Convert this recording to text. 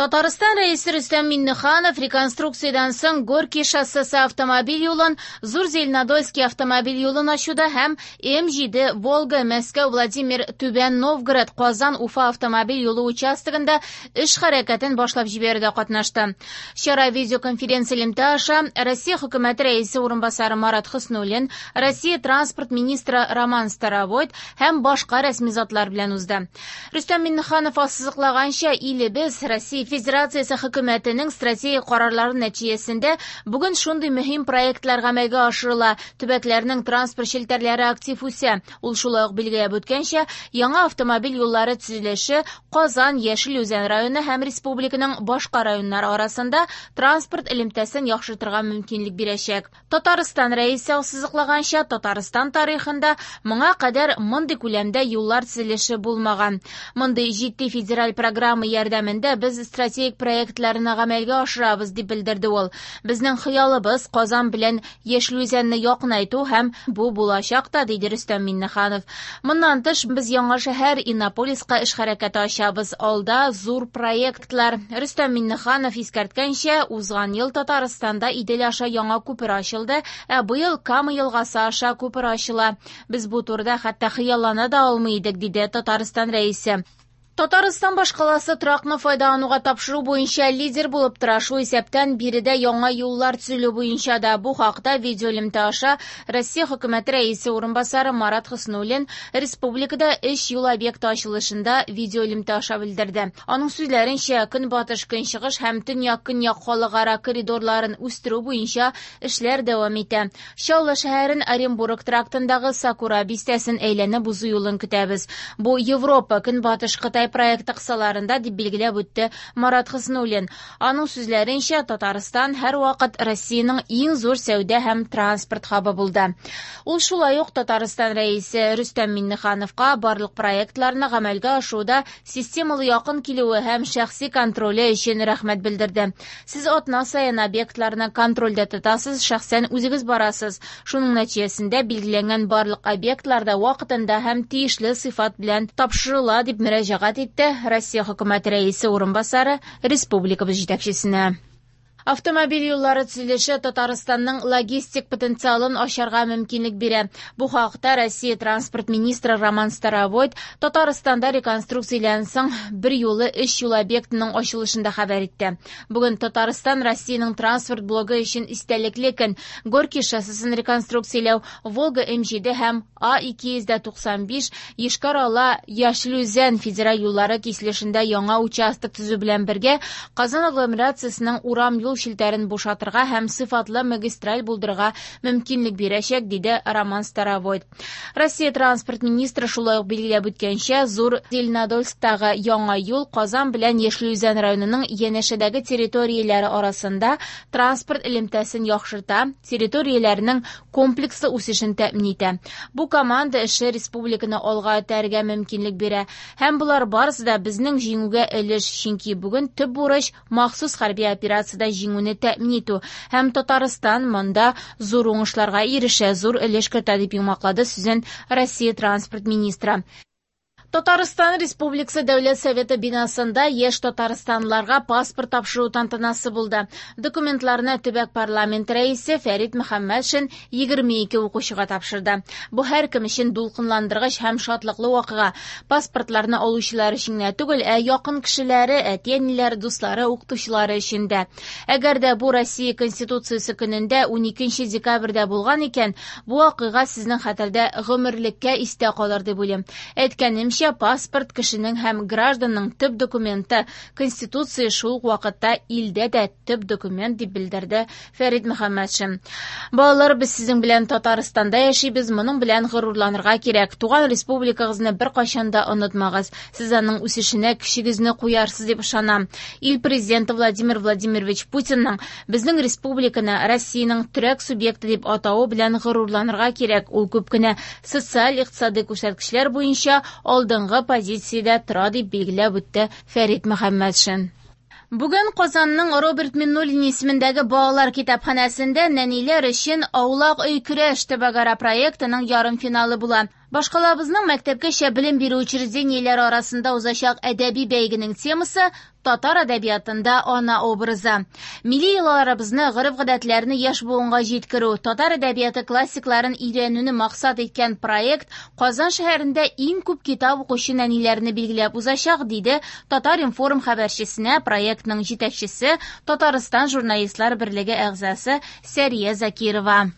Татарстан Рәисе Рөстәм Миңнеханов реконструкциядән соң Горький шоссесы автомобиль юлын, Зур Зеленодольский автомобиль юлын ачуда һәм М7 Волга Мәскәү Владимир Түбән Новгород Казан Уфа автомобиль юлы участогында эш хәрәкәтен башлап җибәрүдә катнашты. Чара видеоконференция элемтә аша Россия хөкүмәте рәисе урынбасары Марат Хөснуллин, Россия транспорт министры Роман Старовойт һәм башка рәсми затлар белән узды. Рөстәм Миңнеханов ассызыклаганча, илебез Россия Федерациясе хөкүмәтенең стратегик карарлары нәтиҗәсендә бүген шундый мөһим проектлар гамәлгә ашырыла, төбәкләрнең транспорт челтәрләре актив үсә. Ул шулай ук билгеләп үткәнчә, яңа автомобиль юллары төзелеше Казан, Яшел Үзән районы һәм республиканың башка районнары арасында транспорт элемтәсен яхшыртырга мөмкинлек бирәчәк. Татарстан Рәисе ассызыклаганча, Татарстан тарихында моңа кадәр мондый күләмдә юллар төзелеше булмаган. Мондый җитди федераль программа ярдәмендә без стратегик проектларны гамәлгә ашырабыз, дип белдерде ул. Безнең хыялыбыз Казан белән Яшел Үзәнне якынайту һәм бу булачак та, диде Рөстәм Миңнеханов. Моннан тыш, без яңа шәһәр Иннополиска эш хәрәкәте ачабыз. Алда зур проектлар. Рөстәм Миңнеханов искәрткәнчә, узган ел Татарстанда Идел аша яңа күпер ачылды, ә быел Кама елгасы аша күпер ачыла. Без бу турыда хәтта хыяллана да алмый идек, диде Татарстан Рәисе. Татарстан башкаласы торакны файдалануга тапшыру буенча лидер булып тора. Шул исәптән биредә яңа юллар төзелү буенча да. Бу хакта видеоэлемтә аша Россия хөкүмәте рәисе урынбасары Марат Хөснуллин республикада өч юл объекты ачылышында видеоэлемтә аша белдерде. Аның сүзләренчә, көнбатыш-көнчыгыш һәм төньяк-көньяк халыкара коридорларын үстерү буенча эшләр дәвам итә. Чаллы шәһәрен Оренбург трактындагы Сакура бистәсен әйләнеп узу юлын көтәбез. Бу Европа Көнбатыш Кытай проекты кысаларында, дип билгеләп үтте Марат Хөснуллин. Аның сүзләренчә, Татарстан һәрвакыт Россиянең иң зур сәүдә һәм транспорт хабы булды. Ул шулай ук Татарстан Рәисе Рөстәм Миңнехановка барлык проектларны гамәлгә ашыруда системалы якын килүе һәм шәхси контроле өчен рәхмәт белдерде. Сез атна саен объектларны контрольдә тотасыз, шәхсән үзегез барасыз. Шуның нәтиҗәсендә билгеләнгән барлык объектлар да вакытында һәм тиешле сыйфат белән тапшырыла, дип мөрәҗәгать итте Россия Хөкүмәте Рәисе урынбасары республикабыз җитәкчесенә. Автомобиль юллары төзелеше Татарстанның логистик потенциалын ачарга мөмкинлек бирә. Бу хакта Россия транспорт министры Роман Старовойт Татарстанда реконструкциядән соң бер юлы өч юл объектының ачылышында хәбәр итте. Бүген Татарстан Россиянең транспорт блогы өчен истәлекле көн. Горький шоссесын реконструкцияләү, Волга М7 һәм А295 Йошкар-Ола Яшел Үзән федераль юллары киселешендә яңа участок төзү белән бергә Казан агломерациясенең урам-юл челтәрен бушатырга һәм сыйфатлы магистраль булдырырга мөмкинлек бирәчәк, диде Роман Старовойт. Россия транспорт министры шулай ук билгеләп үткәнчә, Зур Зеленодольсктагы яңа юл Казан белән Яшел Үзән районының янәшәдәге территорияләре арасында транспорт элемтәсен яхшырта, территорияләрнең комплекслы үсешен тәэмин итә. Бу команда эше республиканы алга этәрергә мөмкинлек бирә. Һәм болар барысы да безнең җиңүгә өлеш, чөнки бүген төп бурыч махсус хәрби операциядә җиңүне тәэмин итү. Һәм Татарстан монда зур уңышларга ирешә, зур өлеш кертә, дип йомгаклады сүзен Россия транспорт министры. Татарстан Республикасы Дәүләт Советы бинасында яшь татарстанлыларга паспорт тапшыру тантанасы булды. Документларны төбәк парламент рәисе Фәрит Мөхәммәтшин 22 укучыга тапшырды. Бу һәркем өчен дулкынландыргыч һәм шатлыклы вакыйга. Паспортларны алучылар өчен генә түгел, ә якын кешеләре, әти-әниләре, дуслары, укытучылары өчен дә. Әгәр дә бу Россия Конституциясе көнендә 12 декабрьдә булган икән, бу вакыйга сезнең хәтердә гомерлеккә истә калыр дип уйлыйм. Әйткәнемчә, паспорт кешенең һәм гражданның төп документы, Конституция шул ук вакытта илдә дә төп документ, дип белдерде Фәрит Мөхәммәтшин. Балалар, без сезнең белән Татарстанда яшибез, моның белән горурланырга кирәк. Туган республикагызны беркайчан да онытмагыз. Сез аның үсешенә көчегезне куярсыз дип ышанам. Ил президенты Владимир Владимирович Путинның безнең республиканы Россиянең терәк субъекты дип атавы белән горурланырга кирәк. Ул күп кенә социаль-икътисади күрсәткечләр буенча алдынгы позициядә тора, дип билгеләп үтте Фәрит Мөхәммәтшин. Бүген Казанның Роберт Миңнуллин исемендәге балалар китапханәсендә нәниләр өчен Аулак өй көрәш төбәкара проектының ярымфиналы була. Башкалабызның мәктәпкәчә белем бирү учреждениеләре арасында узачак әдәби бәйгенең темасы «Татар әдәбиятында ана образы». Милли йолаларыбызны, гореф-гадәтләрне яшь буынга җиткерү, татар әдәбияты классикларын өйрәнүне максат иткән проект Казан шәһәрендә иң күп китап укучы нәниләрне билгеләп узачак, диде Татар-информ хәбәрчесенә проектның җитәкчесе, Татарстан Журналистлар берлеге әгъзасы Сәрия Закирова.